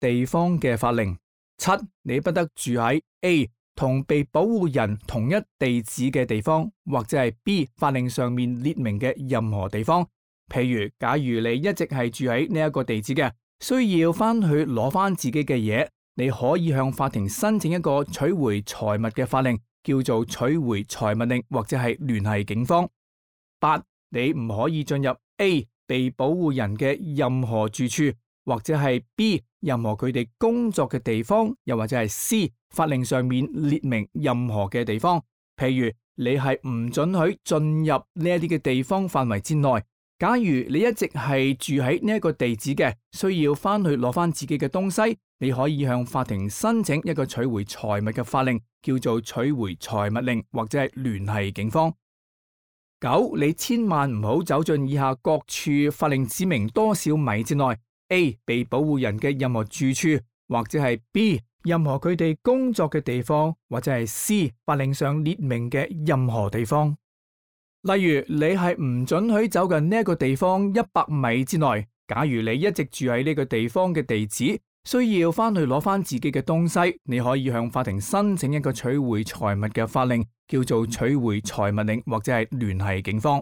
地方嘅法令。7. 你不得住喺 A 同被保護人同一地址嘅地方，或者係 B 法令上面列明嘅任何地方。譬如，假如你一直係住喺呢一個地址嘅，需要翻去攞翻自己嘅嘢，你可以向法庭申請一個取回財物嘅法令，叫做取回財物令，或者係聯繫警方。8. 你唔可以進入 A 被保護人嘅任何住處，或者係 B 任何佢哋工作嘅地方，又或者係 C 法令上面列明任何嘅地方。譬如，你係唔准許進入呢一啲嘅地方範圍之內。假如你一直係住喺呢一個地址嘅，需要翻去攞翻自己嘅東西，你可以向法庭申請一個取回財物嘅法令，叫做取回財物令，或者係聯繫警方。9. 你千萬唔好走進以下各處法令指明多少米之內。A 被保護人嘅任何住處，或者係 B 任何佢哋工作嘅地方，或者係 C 法令上列明嘅任何地方。例如，你係唔准許走近呢一個地方100米之內。假如你一直住喺呢個地方嘅地址，需要翻去攞翻自己嘅東西，你可以向法庭申請一個取回財物嘅法令，叫做取回財物令，或者係聯繫警方。